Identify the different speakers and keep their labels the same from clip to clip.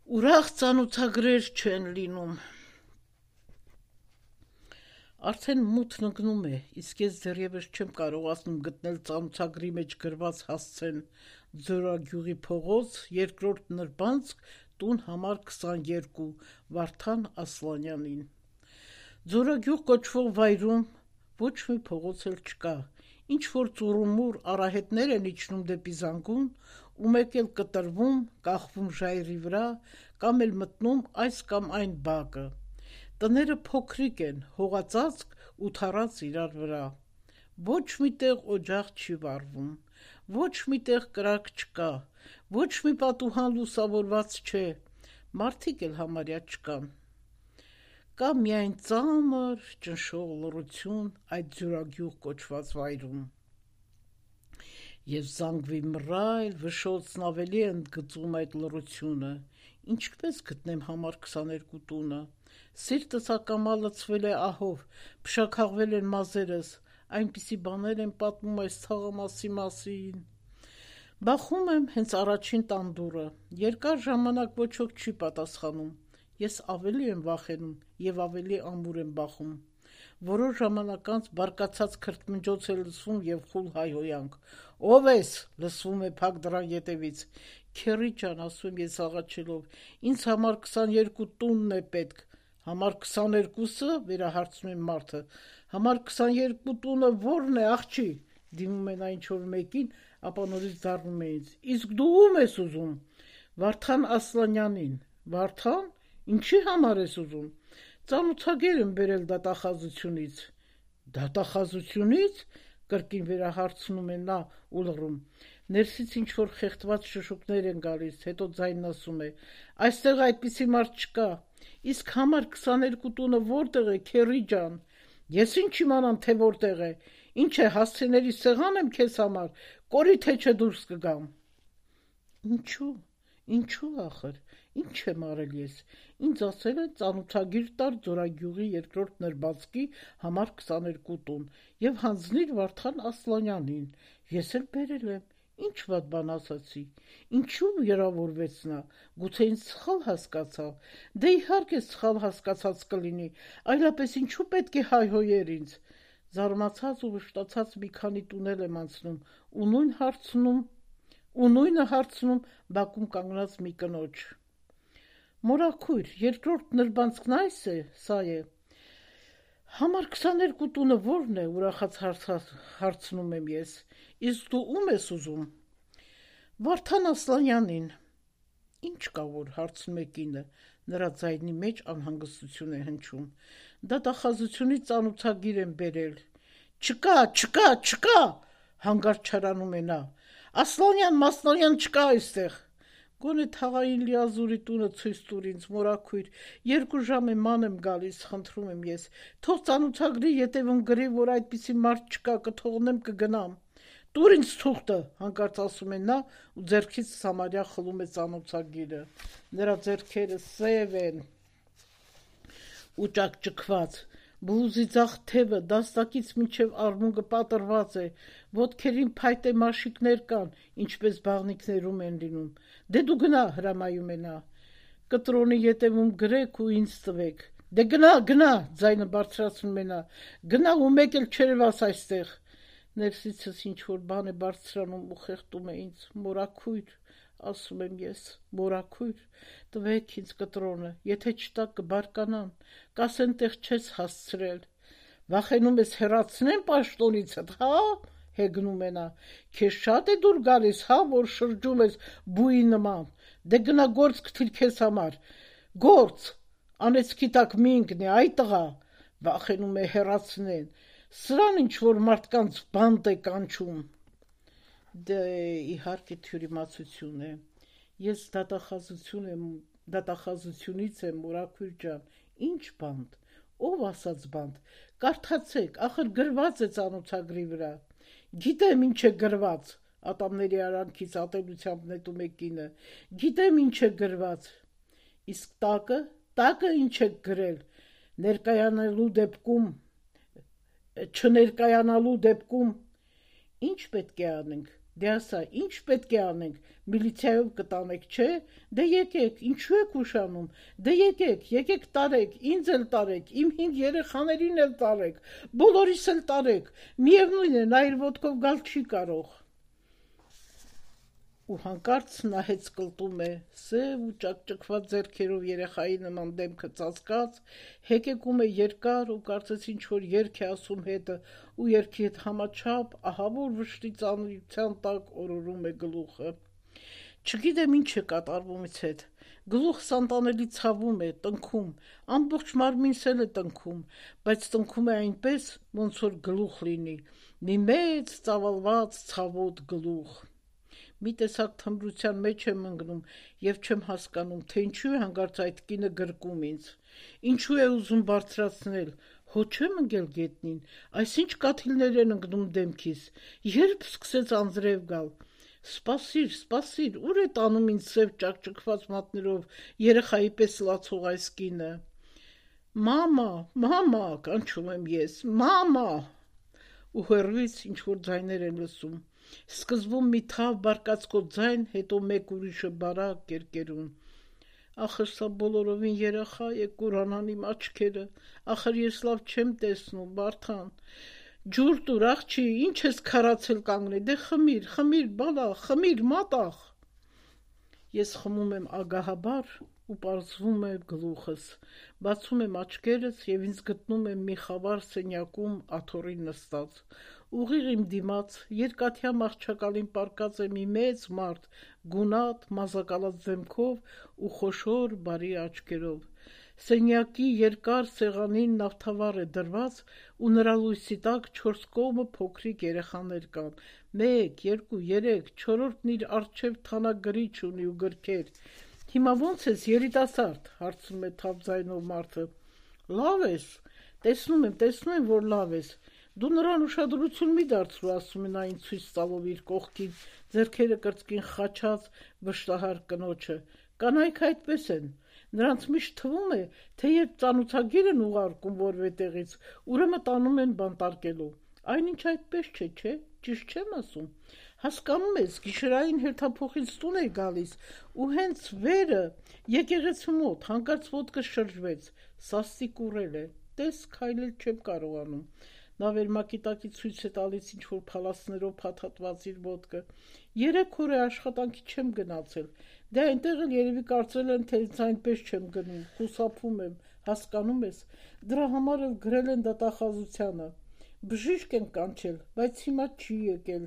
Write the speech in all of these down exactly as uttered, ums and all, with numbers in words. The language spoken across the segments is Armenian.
Speaker 1: Ուրախ ծանոթագրեր չեն լինում։ Արդեն մութն ընկնում է, իսկ ես դեռևս չեմ կարողացնում գտնել ծանոթագրի մեջ գրված հասցեն Ձորագյուղի փողոց, երկրորդ նրբանցք, տուն համար քսաներկու, Վարդան Ասլանյանին։ Ձորագյուղ կոչվող վայրում ոչ մի փողոց էլ չկա, ինչ-որ ծուռումուռ արահետներ են իջնում դեպի Զանգուն ու մեկ էլ կտրվում, կախվում ժայռի վրա կամ էլ մտնում այս կամ այն բակը։ Տները փոքրիկ են, հողածածկ ու թառած իրար վրա։ Ոչ մի տեղ օջախ չի վառվում, ոչ մի տեղ կրակ չկա, ոչ մի պատուհան լուսավորված չէ, մարդիկ էլ համարյա չկան։ Կա միայն ծանր, ճնշող լռություն այդ Ձորագյուղ կոչված վայրում։ Եվ զանգվի մռայլ վշոցն ավելի է ընդգծում այդ լռությունը։ Ինչպես գտնեմ համար քսաներկու տունը։ Սիրտս ակամա լցվել է ահով, փշաքաղվել են մազերս, այնպիսի բաներ են պատմում այս թաղամասի մասին։ Բախում եմ հենց առաջին տան դուռը, երկար ժամանակ ոչ ոք չի պատասխանում։ Ես ավելի եմ վախենում և ավելի ամուր եմ բախում։ Որոշ ժամանակ անց բարկացած քրթմնջոց է լսվում և խուլ հայհոյանք։ «Ո՞վ ես», լսվում է փակ դռան ետևից։ «Քեռի ջան», ասում եմ ես աղաչելով, «ինձ համար քսաներկու տունն է պետք»։ «Համար քսաներկուսը», վերահարցնում է մարդը, «համար քսաներկու տունը ո՞րն է, աղջի», դիմում են այն ինչ-որ մեկին, ապա նորից դառնում է ինձ. «Իսկ դու ո՞ւմ ես ուզում»։ «Վարդան Ասլանյանին»։ «Վարդան, ինչի համար ես ուզում»։ «Ծանոթագիր եմ բերել դատախազությունից»։ «Դատախազությունի՞ց», կրկին վերահարցնում է նա ու լռում։ Ներսից ինչ-որ խեղդված շշուկներ են գալիս, հետո ձայնն ասում է. «Այստեղ այդպիսի մարդ չկա»։ «Իսկ համար քսաներկու տունը ո՞րտեղ է, քեռի ջան»։ «Ես ինչ իմանամ, թե որտեղ է, ինչ է, հասցեների սեղան եմ քեզ համար, կորի թե չէ դուրս կգամ»։ Ինչու՞, ինչու՞ ախր, ինչ եմ արել ես։ Ինձ ասել են ծանոթագիր տար Ձորագյուղի երկրորդ նրբանցքի համար քսաներկու տուն և հանձնիր Վարդան Ասլանյանին։ Ես էլ բերել եմ, ինչ վատ բան ասացի։ Ինչու՞ վիրավորվեց նա, գուցե ինձ սխալ հասկացավ։ Դե իհարկե սխալ հասկացած կլինի, այլապես ինչու պետք է հայհոյեր ինձ։ Զարմացած ու վշտացած մի քանի տունել եմ անցնում ու նույն հարցնում ու նույնը հարցնում բակում կանգնած մի կնոջ։ «Մորաքույր, երկրորդ նրբանցքն այս է, սա է»։ «Համար քսաներկու տունը ո՞րն է», ուրախաց հարցնում եմ ես։ «Իսկ դու ո՞ւմ ես ուզում»։ «Վարդան Ասլանյանին»։ «Ինչ կա որ», հարցնում է կինը, նրա ձայնի մեջ անհանգստություն է հնչում։ «Դատախազությունից ծանոթագիր եմ բերել»։ «Չկա, չկա, չկա», հանկարծ չարանում է նա։ «Ասլանյան Մասլանյան չկա այստեղ»։ «Գոնե թաղային լիազորի տունը ցույց տուր ինձ, մորաքույր, երկու ժամ է ման եմ գալիս, խնդրում եմ ես, թող ծանոթագրի ետևում գրի, որ այդպիսի մարդ չկա, կթողնեմ կգնամ»։ «Տուր ինձ թուղթը», հանկարծ ասում է նա ու ձեռքից սամարյա խլում է ծանոթագիրը։ Նրա ձեռքերը սև են ու ճաքճքված, բլուզի ձախ թևը դաստակից մինչև արմունկը պատռված է, ոտքերին փայտե մաշիկներ կան, ինչպես բաղնիքներում են լինում։ «Դե դու գնա», հրամայում է նա։ «Կտրոնի ետևում գրեք ու ինձ տվեք»։ «Դե գնա, գնա», ձայնը բարձրացնում է նա, «գնա ու մեկ էլ չերևաս այստեղ»։ Ներսիցս ինչ-որ բան է բարձրանում ու խեղդում է ինձ։ «Մորաքույր», ասում եմ ես, «մորաքույր, տվեք ինձ կտրոնը, եթե չտաք կբարկանան, կասեն տեղ չես հասցրել»։ «Վախենում ես հեռացնեմ պաշտոնիցդ, հա՞, հեգնում է նա։ «Քեզ շատ է դուր գալիս, հա, որ շրջում ես բուի նման։ Դե գնա գործ գտիր քեզ համար, գործ, անեծքի տակ մի ընկնի, այ տղա», վախենում է հեռացնեն, սրան ինչ-որ մարդկանց բանտ է կանչում։ Դե իհարկե թյուրիմացություն է։ Ես դատախազություն եմ, դատախազությունից եմ, մորաքույր ջան, ինչ բանտ, ով ասաց բանտ, կարդացեք, ախր գրված է ծանոթագրի վրա։ «Գիտեմ ինչ է գրված», ատամների արանքից ատելությամբ նետում է կինը, «գիտեմ ինչ է գրված»։ «Իսկ տակը, տակը ինչ եք գրել, ներկայանալու դեպքում, չներկայանալու դեպքում»։ «Ինչ պետք է անենք, Դե ասա, ինչ պետք է անենք, միլիցիայով կտանեք, չէ, դե եկեք, ինչու եք ուշանում, դե եկեք, եկեք տարեք, ինձ էլ տարեք, իմ հինգ երեխաներին էլ տարեք, բոլորիս էլ տարեք, միևնույն է, նա իր ոտքով գալ չի կարող։ Ու հանկարծ նահեց կլտում է, սև ու ճակճկված ձեռքերով երեխայի նման դեմքը ծածկած, հեկեկում է երկար ու կարծես ինչ-որ երգ է ասում հետը, ու երգի հետ համաչափ ահավոր վշտի ծանրության տակ օրորում է գլուխը։ Չգիտեմ ինչ է կատարվում ից հետ, գլուխս անտանելի ցավում է, տնքում, ամբողջ մարմինս էլ է տնքում, բայց տնքում է այնպես, ոնց որ գլուխ լինի, մի մեծ ծավալված ցավոտ գլուխ։ Մի տեսակ թմրության մեջ եմ ընկնում և չեմ հասկանում, թե ինչու է հանկարծ այդ կինը գրկում ինձ, ինչու է ուզում բարձրացնել, հո չեմ ընկել գետնին, այսինչ կաթիլներ են ընկնում դեմքիս, երբ սկսեց անձրև գալ, սպասիր, սպասիր, ուր է տանում ինձ սև ճակճկված մատներով երեխայի պես լացող այս կինը։ Մամա, մամա, կանչում եմ ես, մամա, ու հեռվից ինչ-որ ձայներ են լսում, սկզբում մի թավ բարկացկոտ ձայն, հետո մեկ ուրիշը բարակ կերկերուն։ Ախր սա բոլորովին երեխա է, կուրանան իմ աչքերը, ախր ես լավ չեմ տեսնում, Բարթան, ջուր տուր, աղջի, ինչ ես քարացել կանգնել, դե խմիր, խմիր, բալա, խմիր, մատաղ։ Ես խմում եմ ագահաբար ու պարզվում է գլուխս, բացում եմ աչքերս և ինձ գտնում եմ մի խավար սենյակում աթոռին նստած, ուղիղ իմ դիմաց երկաթյա մահճակալին պառկած է մի մեծ մարդ, գունատ, մազակալած դեմքով ու խոշոր բարի աչքերով, սենյակի երկար սեղանին նավթավառ է դրված ու նրա լույսի տակ չորս կողմը փոքրիկ երեխաներ կան, մեկ, երկու, երեք, չորրորդն իր առջև թանակ գրիչ ունի ու գրքեր։ Հիմա ո՞նց ես, երիտասարդ, հարցնում է թավ ձայնով մարդը։ Լավ ես, տեսնում եմ, տեսնում եմ, որ լավ ես։ Դու նրան ուշադրություն մի դարձրու, ասում է նա ինձ ցույց տալով իր կողքին, ձեռքերը կրծքին խաչած վշտահար կնոջը։ Կանայք այդպես են։ Նրանց միշտ թվում է, թե երբ ծանոթագիր են ուղարկում որևէ տեղից, ուրեմն տանում են բանտարկելու։ Այնինչ այդպես չէ, չէ, ճիշտ չեմ ասում։ Հասկանում ես, գիշերային հերթափոխից տուն է գալիս, ու հենց վերը եկեղեցու մոտ հանկարծ ոտքս շրջվեց, սաստիկ ուռել է, տես քայլել չեմ կարողանում։ Նա վերմակի տակից ցույց է տալիս ինչ-որ փալասներով փաթաթված իր ոտքը։ Երեք օր է աշխատանքի չեմ գնացել, դե այնտեղ էլ երևի կարծել են, թե ինձ այնպես չեմ գնում, խուսափում եմ, հասկանում ես, դրա համար էլ գրել են դատախազությանը։ Բժիշկ են կանչել, բայց հիմա չի եկել։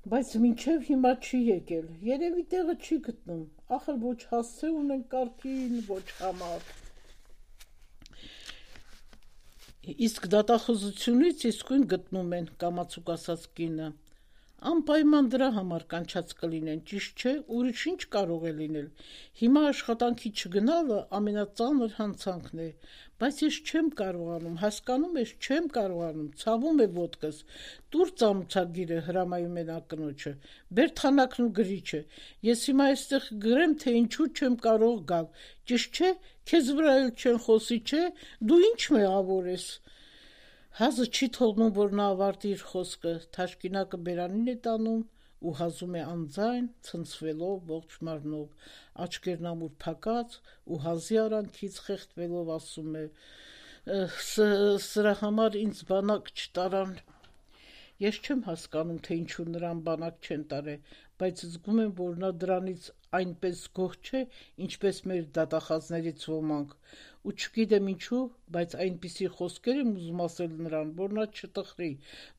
Speaker 1: Բայց մինչև հիմա չի եկել, երևի տեղը չի գտնում, ախր ոչ հասցե ունեն կարգին, ոչ համար։ Իսկ դատախազությունից իսկույն գտնում են, կամացուկ ասաց կինը։ Անպայման դրա համար կանչած կլինեն, ճիշտ չէ, ուրիշ ինչ կարող է լինել։ Հիմա աշխատանքի չգնալը ամենածանր հանցանքն է, բայց ես չեմ կարողանում, հասկանում ես, չեմ կարողանում, ցավում է ոտքս։ Տուր ծանոթագիրը, հրամայում է նա կնոջը, բեր թանակն ու գրիչը։ Ես հիմա այստեղ գրեմ, թե ինչու չեմ կարող գալ։ Ճիշտ չէ, քեզ վրա էլ չեն խոսի, չէ, դու ինչ մեղավոր ես։ Հազը չի թողնում, որ նա ավարտի իր խոսքը, թաշկինակը բերանին է տանում ու հազում է անձայն, ցնցվելով ողջ մարմնով, աչքերն ամուր փակած ու հազի արանքից խեղդվելով ասում է. «Սրա համար ինձ բանակ չտարան»։ Ես չեմ հասկանում, թե ինչու նրան բանակ չեն տարել, բայց զգում եմ, որ նա դրանից այնպես գոհ չէ, ինչպես մեր դատախազներից ոմանք, ու չգիտեմ ինչու, բայց այնպիսի խոսքեր եմ ուզում ասել նրան, որ նա չտխրի,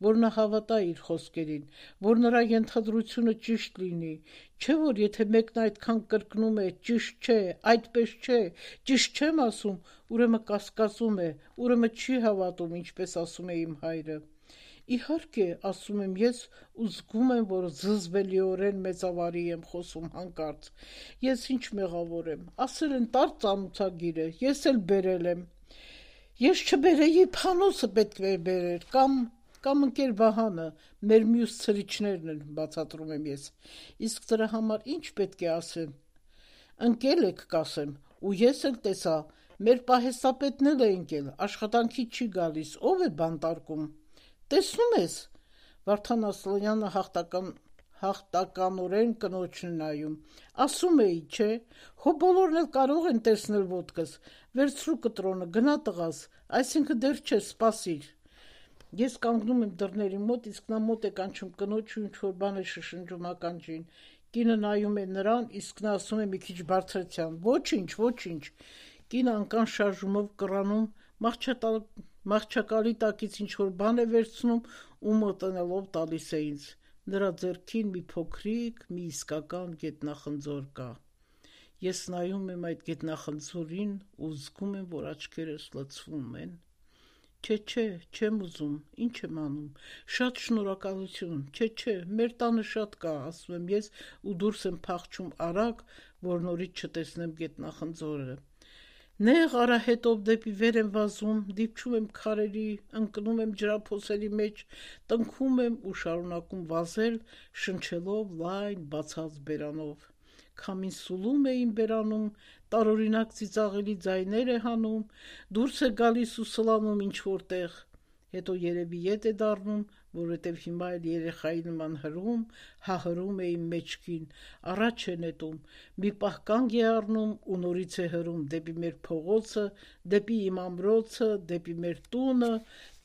Speaker 1: որ նա հավատա իր խոսքերին, որ նրա ենթադրությունը ճիշտ լինի, չէ՞ որ եթե մեկն այդքան կրկնում է ճիշտ չէ, այդպես չէ, ճիշտ չեմ ասում, ուրեմն կասկածում է, ուրեմն չի հավատում, ինչպես ասում է իմ հայրը։ Իհարկե, ասում եմ ես ու զգում եմ, որ զզվելիորեն մեծավարի եմ խոսում հանկարծ։ Ես ինչ մեղավոր եմ, ասել են տար ծանոթագիրը, ես էլ բերել եմ։ Ես չբերեի, Փանոսը պետք է բերեր, կամ կամ ընկեր Վահանը, մեր մյուս ցրիչներն են, բացատրում եմ ես։ Իսկ դրա համար ինչ պետք է ասեմ։ Ընկել եք, կասեմ, ու ես էլ տեսա, մեր պահեստապետն էլ է ընկել, աշխատանքի չի գալիս, ով է բանտարկում։ Տեսնում ես, Վարդան Ասլանյանը հաղթական հաղթականորեն կնոջն նայում, ասում էի, չէ, հո բոլորն էլ կարող են տեսնել ոտքս, վերցրու կտրոնը, գնա տղաս, այսինքն դեռ չէ, սպասիր։ Ես կանգնում եմ դռների մոտ, իսկ նա մոտ է կանչում կնոջ ու ինչ-որ բան է շշնջում ականջին։ Կինը նայում է նրան, իսկ նա ասում է մի քիչ բարձրացյան. «Ոչինչ, ոչինչ»։ Կինը անկան շարժումով կռանում, մահճակալի տակից ինչ-որ բան է վերցնում ու մոտենալով տալիս է ինձ։ Նրա ձեռքին մի փոքրիկ, մի իսկական գետնախնձոր կա։ Ես նայում եմ այդ գետնախնձորին ու զգում եմ, որ աչքերս լցվում են։ Չէ, չէ, չեմ ուզում, ինչ եմ անում, շատ շնորհակալություն, չէ, չէ, մեր տանը շատ կա, ասում եմ ես ու դուրս եմ փախչում արագ, որ նորից չտեսնեմ գետնախնձորը։ Նեղ արահետով դեպի վեր եմ վազում, դիպչում եմ քարերի, ընկնում եմ ջրափոսերի մեջ, տնքում եմ ու շարունակում վազել, շնչելով լայն բացած բերանով։ Քամին սուլում է իմ բերանում, տարօրինակ ծիծաղելի ձայներ է հանում, դուրս է գալիս ու սլանում ինչ-որ տեղ, հետո երևի ետ է դառնում, որովհետև հիմա էլ երեխայի նման հրում, հահրում է իմ մեջքին, առաջ է նետում, մի պահ կանգ է առնում ու նորից է հրում դեպի մեր փողոցը, դեպի իմ ամրոցը, դեպի մեր տունը,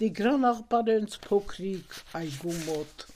Speaker 1: Տիգրան Աղբարենց փոքրիկ այգու մոտ։